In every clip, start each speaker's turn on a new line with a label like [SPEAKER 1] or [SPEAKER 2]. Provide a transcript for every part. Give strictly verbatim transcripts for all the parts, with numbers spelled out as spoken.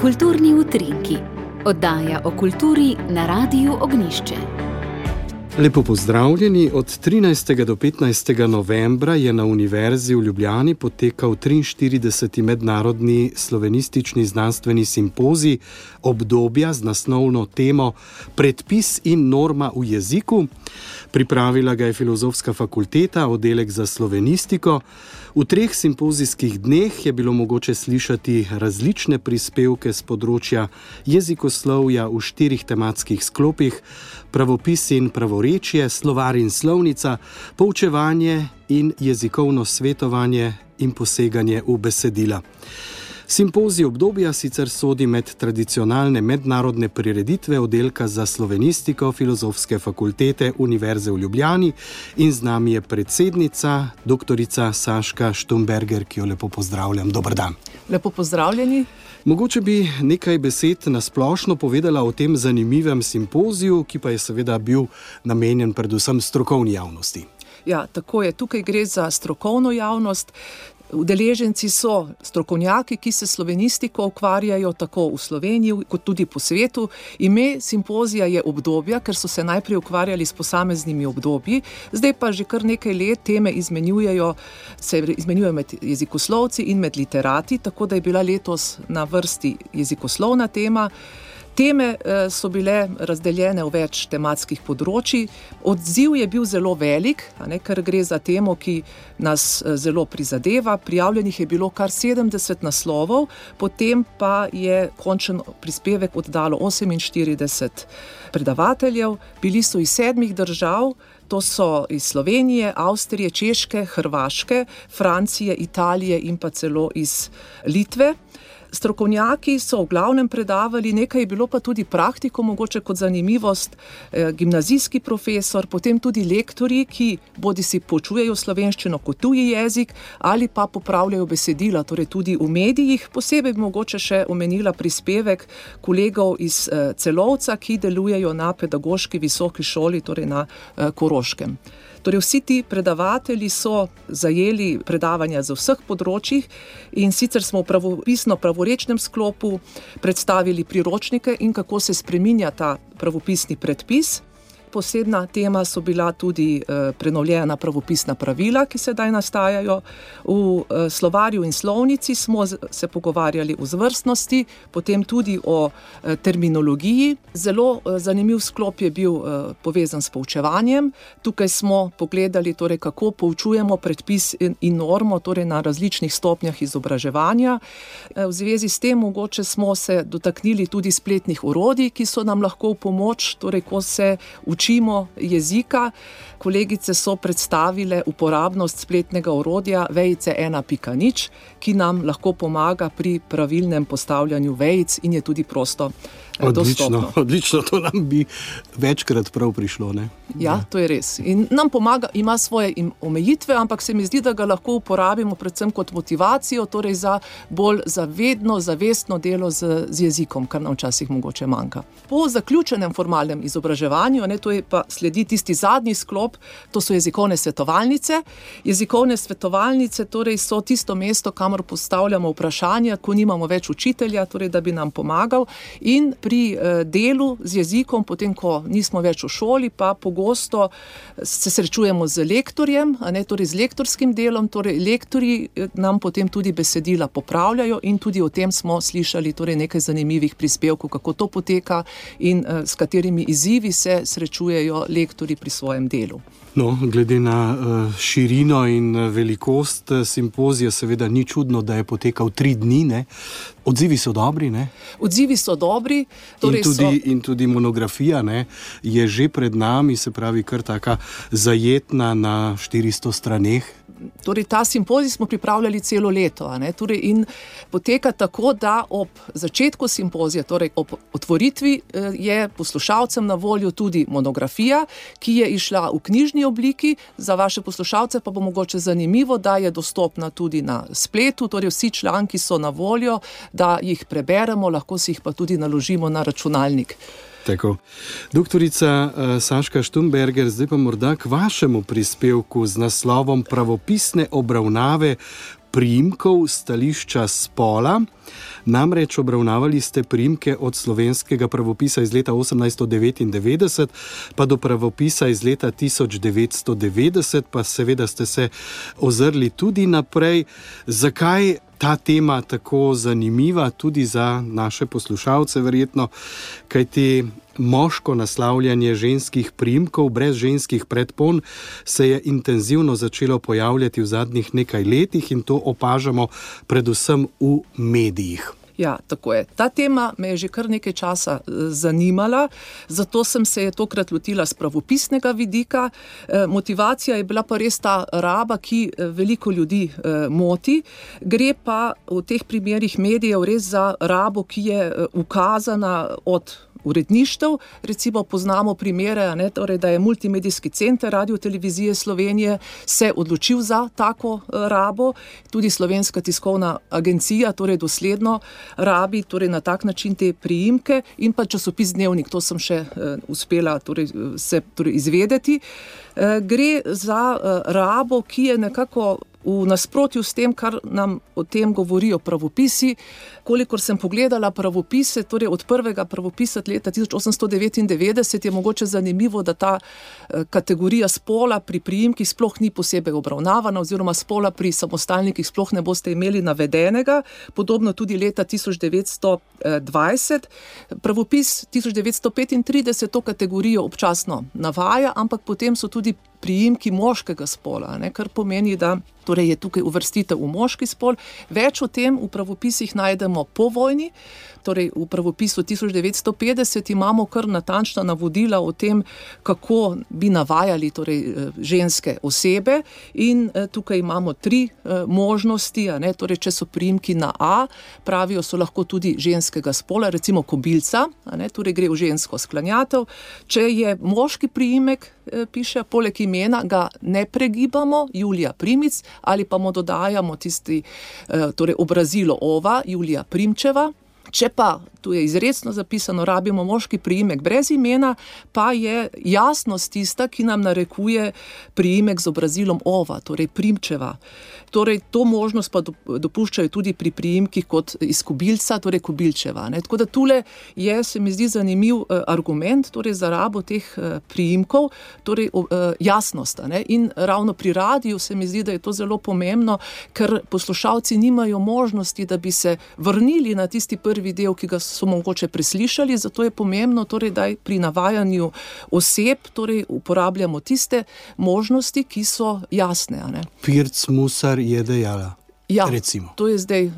[SPEAKER 1] Kulturni utrinki. Oddaja o kulturi na Radiu Ognjišče.
[SPEAKER 2] Lepo pozdravljeni. Od trinajstega do petnajstega novembra je na Univerzi v Ljubljani potekal triinštirideseti mednarodni slovenistični znanstveni simpozij obdobja z naslovno temo Predpis in norma v jeziku. Pripravila ga je Filozofska fakulteta, oddelek za slovenistiko. V treh simpozijskih dneh je bilo mogoče slišati različne prispevke z področja jezikoslovja v štirih tematskih sklopih: pravopis in pravorečje, slovar in slovnica, poučevanje in jezikovno svetovanje in poseganje v besedila. Simpozij obdobja sicer sodi med tradicionalne mednarodne prireditve oddelka za slovenistiko Filozofske fakultete Univerze v Ljubljani in z nami je predsednica, doktorica Saška Štumberger, ki jo lepo pozdravljam. Dober dan.
[SPEAKER 3] Lepo pozdravljeni.
[SPEAKER 2] Mogoče bi nekaj besed na splošno povedala o tem zanimivem simpoziju, ki pa je seveda bil namenjen predvsem strokovni javnosti.
[SPEAKER 3] Ja, tako je. Tukaj gre za strokovno javnost. Udeleženci so strokovnjaki, ki se slovenistiko ukvarjajo tako v Sloveniji kot tudi po svetu. Ime simpozija je obdobja, ker so se najprej ukvarjali s posameznimi obdobji, zdaj pa že kar nekaj let teme izmenjujejo, se izmenjujejo med jezikoslovci in med literati, tako da je bila letos na vrsti jezikoslovna tema. Teme so bile razdeljene v več tematskih področij. Odziv je bil zelo velik, a ne, ker gre za temo, ki nas zelo prizadeva. Prijavljenih je bilo kar sedemdeset naslovov, potem pa je končen prispevek oddalo oseminštirideset predavateljev. Bili so iz sedmih držav, to so iz Slovenije, Avstrije, Češke, Hrvaške, Francije, Italije in pa celo iz Litve. Strokovnjaki so v glavnem predavali, nekaj je bilo pa tudi praktiko, mogoče kot zanimivost, eh, gimnazijski profesor, potem tudi lektorji, ki bodisi poučujejo slovenščino kot tuji jezik ali pa popravljajo besedila, torej tudi v medijih. Posebej bi mogoče še omenila prispevek kolegov iz eh, Celovca, ki delujejo na pedagoški visoki šoli, torej na eh, Koroškem. Torej vsi ti predavatelji so zajeli predavanja za vseh področjih in sicer smo v pravopisno pravorečnem sklopu predstavili priročnike in kako se spreminja ta pravopisni predpis. Posebna tema so bila tudi eh, prenovljena pravopisna pravila, ki sedaj nastajajo. V eh, slovarju in slovnici smo z, se pogovarjali o zvrstnosti, potem tudi o eh, terminologiji. Zelo eh, zanimiv sklop je bil eh, povezan s poučevanjem. Tukaj smo pogledali, torej, kako poučujemo predpis in, in normo, torej na različnih stopnjah izobraževanja. Eh, v zvezi s tem mogoče smo se dotaknili tudi spletnih orodij, ki so nam lahko v pomoč, torej ko se učimo jezika. Kolegice so predstavile uporabnost spletnega orodja vejice ena pika nič, ki nam lahko pomaga pri pravilnem postavljanju vejic in je tudi prosto dostopno.
[SPEAKER 2] Odlično, odlično, to nam bi večkrat prav prišlo, ne?
[SPEAKER 3] Ja, to je res. In nam pomaga, ima svoje omejitve, ampak se mi zdi, da ga lahko uporabimo predvsem kot motivacijo, torej za bolj zavedno, zavestno delo z, z jezikom, kar nam včasih mogoče manjka. Po zaključenem formalnem izobraževanju, ne, to je pa sledi tisti zadnji sklop, to so jezikovne svetovalnice. Jezikovne svetovalnice torej so tisto mesto, kamor postavljamo vprašanja, ko nimamo več učitelja, torej da bi nam pomagal, in pri eh, delu z jezikom, potem ko nismo več v šoli, pa pogosto se srečujemo z lektorjem, a ne, torej z lektorskim delom, torej lektorji nam potem tudi besedila popravljajo in tudi o tem smo slišali torej nekaj zanimivih prispevkov, kako to poteka in eh, s katerimi izzivi se srečujejo lektorji pri svojem delu.
[SPEAKER 2] No, glede na uh, širino in velikost simpozija, seveda ni čudno, da je potekal tri dni, ne? Odzivi so dobri, ne?
[SPEAKER 3] Odzivi so dobri.
[SPEAKER 2] Torej in, tudi, so... in tudi monografija, ne, je že pred nami, se pravi kar taka zajetna na štiristo straneh.
[SPEAKER 3] Torej, ta simpozij smo pripravljali celo leto, a ne? Torej, in poteka tako, da ob začetku simpozija, torej ob otvoritvi, je poslušalcem na voljo tudi monografija, ki je išla v knjižni obliki. Za vaše poslušalce pa bo mogoče zanimivo, da je dostopna tudi na spletu, torej vsi članki so na voljo, da jih preberemo, lahko si jih pa tudi naložimo na računalnik.
[SPEAKER 2] Tako. Doktorica uh, Saška Štumberger, zdaj pa morda k vašemu prispevku z naslovom Pravopisne obravnave priimkov stališča spola. Namreč obravnavali ste priimke od slovenskega pravopisa iz leta osemnajststo devetindevetdeset pa do pravopisa iz leta tisoč devetsto devetdeset, pa seveda ste se ozrli tudi naprej. Zakaj ta tema tako zanimiva tudi za naše poslušalce verjetno? Kajti moško naslavljanje ženskih priimkov brez ženskih predpon se je intenzivno začelo pojavljati v zadnjih nekaj letih in to opažamo predvsem v medijih.
[SPEAKER 3] Ja, tako je. Ta tema me je že kar nekaj časa zanimala, zato sem se je tokrat lotila z pravopisnega vidika. Motivacija je bila pa res ta raba, ki veliko ljudi moti. Gre pa v teh primerih medijev res za rabo, ki je ukazana od uredništev. Recimo poznamo primere, ne, torej, da je Multimedijski center Radio-televizije Slovenije se odločil za tako rabo, tudi Slovenska tiskovna agencija, torej dosledno rabi torej na tak način te priimke in pa časopis Dnevnik, to sem še uh, uspela torej, se torej, izvedeti. Uh, gre za uh, rabo, ki je nekako v nasprotju s tem, kar nam o tem govorijo pravopisi. Kolikor sem pogledala pravopise, torej od prvega pravopisa leta tisoč osemsto devetindevetdeset, je mogoče zanimivo, da ta kategorija spola pri priimkih sploh ni posebej obravnavana, oziroma spola pri samostalnikih sploh ne boste imeli navedenega, podobno tudi leta tisoč devetsto dvajset. Pravopis tisoč devetsto petintrideset to kategorijo občasno navaja, ampak potem so tudi priimki moškega spola, ne, kar pomeni, da torej je tukaj uvrstitev v moški spol. Več o tem v pravopisih najdemo po vojni, torej v pravopisu tisoč devetsto petdeset imamo kar natančna navodila o tem, kako bi navajali torej, ženske osebe in tukaj imamo tri možnosti, a ne, torej če so priimki na A, pravijo, so lahko tudi ženskega spola, recimo kobilca, a ne, torej gre v žensko sklanjatev. Če je moški priimek, piše, poleg imena ga ne pregibamo, Julija Primic, ali pa mu dodajamo tisti torej obrazilo ova, Julija Primčeva. Če pa, tu je izrecno zapisano, rabimo moški priimek brez imena, pa je jasnost tista, ki nam narekuje priimek z obrazilom ova, torej Primčeva. Torej, to možnost pa dopuščajo tudi pri priimkih kot iz kobilca, torej Kobilčeva. Ne? Tako da tule je, se mi zdi, zanimiv argument torej za rabo teh priimkov, torej jasnost. Ne? In ravno pri radiju se mi zdi, da je to zelo pomembno, ker poslušalci nimajo možnosti, da bi se vrnili na tisti prvi del, ki ga so mogoče preslišali, zato je pomembno, torej, da pri navajanju oseb torej, uporabljamo tiste možnosti, ki so jasne. A ne?
[SPEAKER 2] Pirc Musar je dejala.
[SPEAKER 3] Ja,
[SPEAKER 2] recimo.
[SPEAKER 3] To je zdaj eh,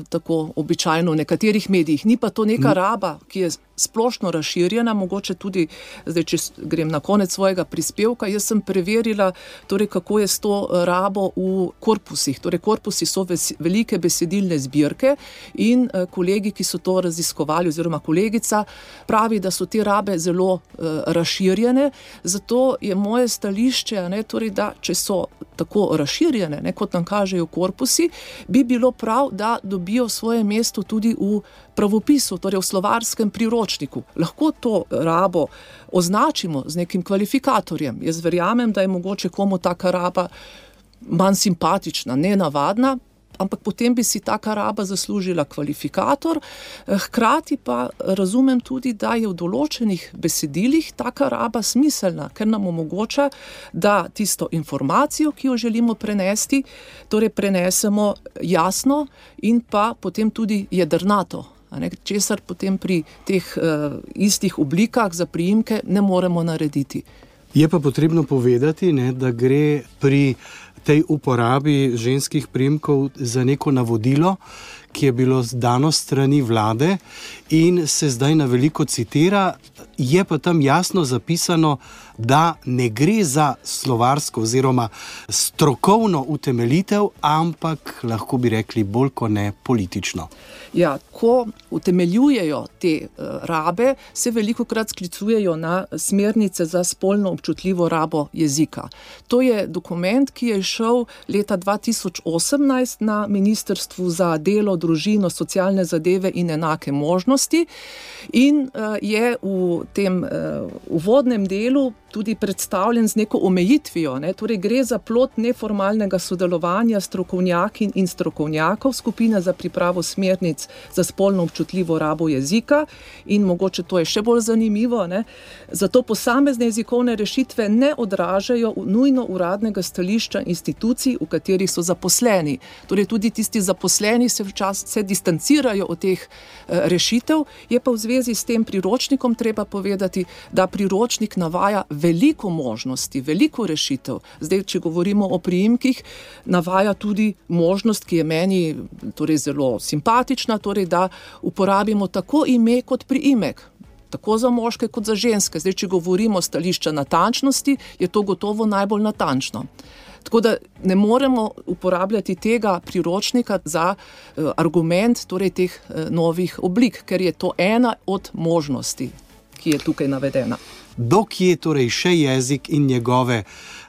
[SPEAKER 3] tako običajno v nekaterih medijih. Ni pa to neka raba, ki je splošno razširjena, mogoče tudi, zdaj, če grem na konec svojega prispevka, jaz sem preverila, torej, kako je s to rabo v korpusih. Torej, korpusi so ves, velike besedilne zbirke in eh, kolegi, ki so to raziskovali, oziroma kolegica, pravi, da so te rabe zelo eh, razširjene, zato je moje stališče, ne, torej, da če so tako razširjene, ne, kot nam kažejo korpusi, bi bilo prav, da dobijo svoje mesto tudi v pravopisu, torej v slovarskem priročniku. Lahko to rabo označimo z nekim kvalifikatorjem. Jaz verjamem, da je mogoče komu taka raba manj simpatična, nenavadna, ampak potem bi si taka raba zaslužila kvalifikator. Hkrati pa razumem tudi, da je v določenih besedilih taka raba smiselna, ker nam omogoča, da tisto informacijo, ki jo želimo prenesti, torej prenesemo jasno in pa potem tudi jedrnato. Ne, česar potem pri teh uh, istih oblikah za priimke ne moremo narediti.
[SPEAKER 2] Je pa potrebno povedati, ne, da gre pri tej uporabi ženskih priimkov za neko navodilo, ki je bilo dano strani vlade in se zdaj na veliko citira, je pa tam jasno zapisano, da ne gre za slovarsko oziroma strokovno utemeljitev, ampak lahko bi rekli bolj kot ne politično.
[SPEAKER 3] Ja, ko utemeljujejo te uh, rabe, se velikokrat sklicujejo na smernice za spolno občutljivo rabo jezika. To je dokument, ki je šel leta dva tisoč osemnajst na Ministrstvu za delo, družino, socialne zadeve in enake možnosti in uh, je v tem uh, uvodnem delu tudi predstavljen z neko omejitvijo. Ne? Torej gre za plod neformalnega sodelovanja strokovnjakin in strokovnjakov, skupina za pripravo smernic za spolno občutljivo rabo jezika in mogoče to je še bolj zanimivo. Ne? Zato posamezne jezikovne rešitve ne odražajo nujno uradnega stališča institucij, v katerih so zaposleni. Torej tudi tisti zaposleni se včasih se distancirajo od teh uh, rešitev, je pa v zvezi s tem priročnikom treba povedati, da priročnik navaja veliko možnosti, veliko rešitev. Zdaj, če govorimo o priimkih, navaja tudi možnost, ki je meni torej zelo simpatična, torej da uporabimo tako ime kot priimek, tako za moške kot za ženske. Zdaj, če govorimo stališča natančnosti, je to gotovo najbolj natančno. Tako da ne moremo uporabljati tega priročnika za uh, argument torej teh uh, novih oblik, ker je to ena od možnosti, ki je tukaj navedena.
[SPEAKER 2] Dokje torej še jezik in njegove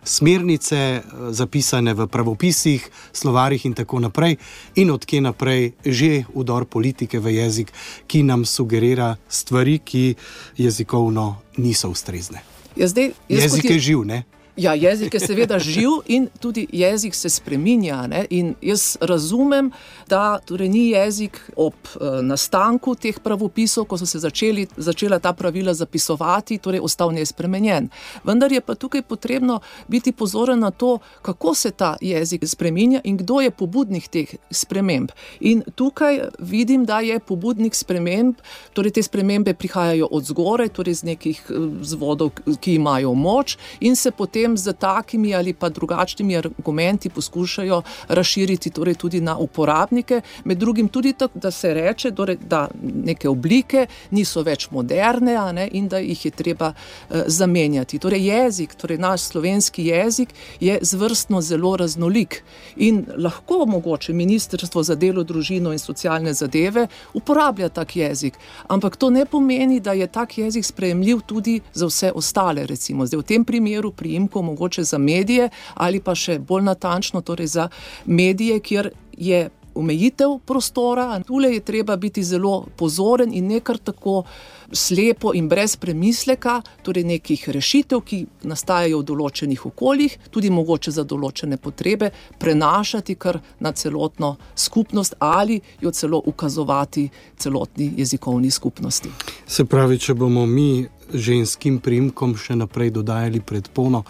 [SPEAKER 2] smernice, zapisane v pravopisih, slovarjih in tako naprej, in odkje naprej že vdor politike v jezik, ki nam sugerira stvari, ki jezikovno niso ustrezne.
[SPEAKER 3] Ja, zdaj,
[SPEAKER 2] jezik je živ, ne?
[SPEAKER 3] Ja, jezik je seveda živ in tudi jezik se spreminja. Ne? In jaz razumem, da torej ni jezik ob e, nastanku teh pravopisov, ko so se začeli, začela ta pravila zapisovati, torej ostal nespremenjen. Vendar je pa tukaj potrebno biti pozoren na to, kako se ta jezik spreminja in kdo je pobudnik teh sprememb. In tukaj vidim, da je pobudnik sprememb, torej te spremembe prihajajo od zgoraj, torej z nekih vzvodov, ki imajo moč in se potem z takimi ali pa drugačnimi argumenti poskušajo razširiti torej tudi na uporabnike, med drugim tudi tako, da se reče, torej, da neke oblike niso več moderne, a ne, in da jih je treba uh, zamenjati. Torej jezik, torej naš slovenski jezik je zvrstno zelo raznolik in lahko mogoče Ministrstvo za delo, družino in socialne zadeve uporablja tak jezik, ampak to ne pomeni, da je tak jezik sprejemljiv tudi za vse ostale, recimo. Zdaj v tem primeru priimkov mogoče za medije ali pa še bolj natančno torej za medije, kjer je omejitev prostora. Tule je treba biti zelo pozoren in ne kar tako slepo in brez premisleka, torej nekih rešitev, ki nastajajo v določenih okoljih, tudi mogoče za določene potrebe, prenašati kar na celotno skupnost ali jo celo ukazovati celotni jezikovni skupnosti.
[SPEAKER 2] Se pravi, če bomo mi ženskim priimkom še naprej dodajali predpono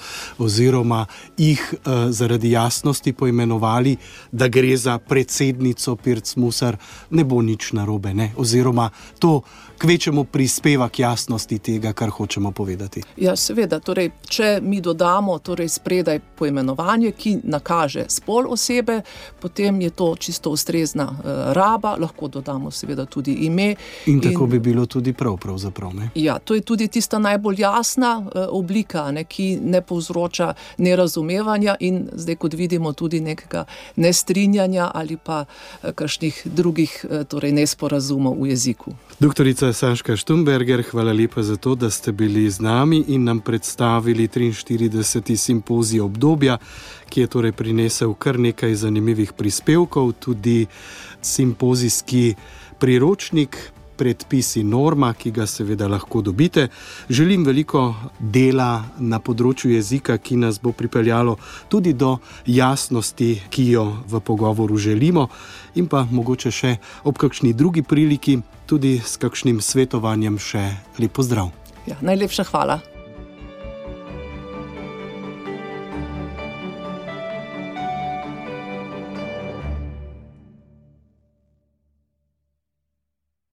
[SPEAKER 2] oziroma jih eh, zaradi jasnosti poimenovali, da gre za predsednico Pirc Musar, ne bo nič narobe, ne? Oziroma to kvečemu prispeva k jasnosti tega, kar hočemo povedati.
[SPEAKER 3] Ja, seveda, torej, če mi dodamo torej spredaj poimenovanje, ki nakaže spol osebe, potem je to čisto ustrezna uh, raba, lahko dodamo seveda tudi ime.
[SPEAKER 2] In tako in, bi bilo tudi prav, pravzaprav, ne?
[SPEAKER 3] Ja, to je tudi tista najbolj jasna uh, oblika, ne, ki ne povzroča nerazumevanja in zdaj, kot vidimo, tudi nekega nestrinjanja ali pa uh, kakšnih drugih uh, torej nesporazumov v jeziku.
[SPEAKER 2] Doktorica Saška Štumberger, hvala lepa za to, da ste bili z nami in nam predstavili triinštirideseti simpozij obdobja, ki je torej prinesel kar nekaj zanimivih prispevkov, tudi simpozijski priročnik, predpisi norma, ki ga seveda lahko dobite. Želim veliko dela na področju jezika, ki nas bo pripeljalo tudi do jasnosti, ki jo v pogovoru želimo, in pa mogoče še ob kakšni drugi priliki tudi s kakšnim svetovanjem še lep pozdrav.
[SPEAKER 3] Ja, najlepša hvala.